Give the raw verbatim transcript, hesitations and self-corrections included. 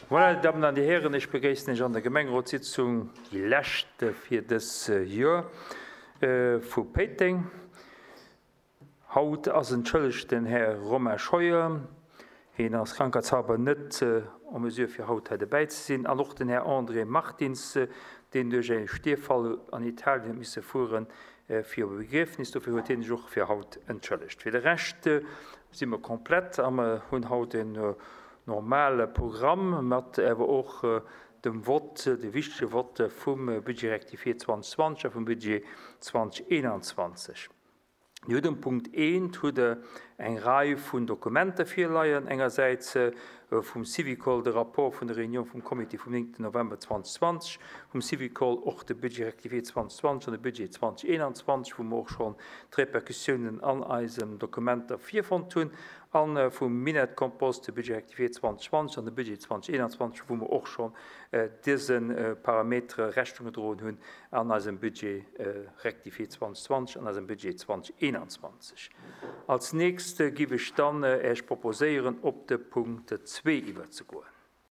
Voilà, dir Dammen an dir Hären, ech begréissen Iech an der Gemengerotssitzung, déi lescht fir dës Joer, vu Péiteng. Haut ass entschëllegt den Här Romain Scheuer. Hien ass krankheitshalber net en mesure fir haut hei dobäi ze sinn. An och den Här André Martins, deen duerch e Stierfall an Italien huet misse fueren fir op e Begriefnis. Dofir huet hien sech och fir haut entschëllegt. Fir de Rescht si mer komplett a mer hunn haut en normale Programm mat awer och dem Vott, de wichtege Vott vum Budget rectifié zweitausendzwanzig a vum Budget zweitausendeinundzwanzig. Dir hutt um Punkt eent hutt Der eng Rei vun Dokumenter virleien, engersäits vum Syvicol de Rapport vun der Réunion vum Comité vum néngten November zweitausendzwanzig, vum Syvicol och de Budget rectifié zweitausendzwanzig an de Budget zweitausendeinundzwanzig, wou mer och schonn d'Repercussiounen an eisen Dokumenter virfonnt hunn, a vum Minett-Kompost de Budget rectifié zweitausendzwanzig an de Budget zweitausendeinundzwanzig, wou mer och schonn dëse Parametere Rechnung gedroen hunn an eisem Budget rectifié zweitausendzwanzig an eisem Budget zweitausendeinundzwanzig. Als nächst giff ech dann Äech proposéieren, op de Punkt zwee iwwerzegoen.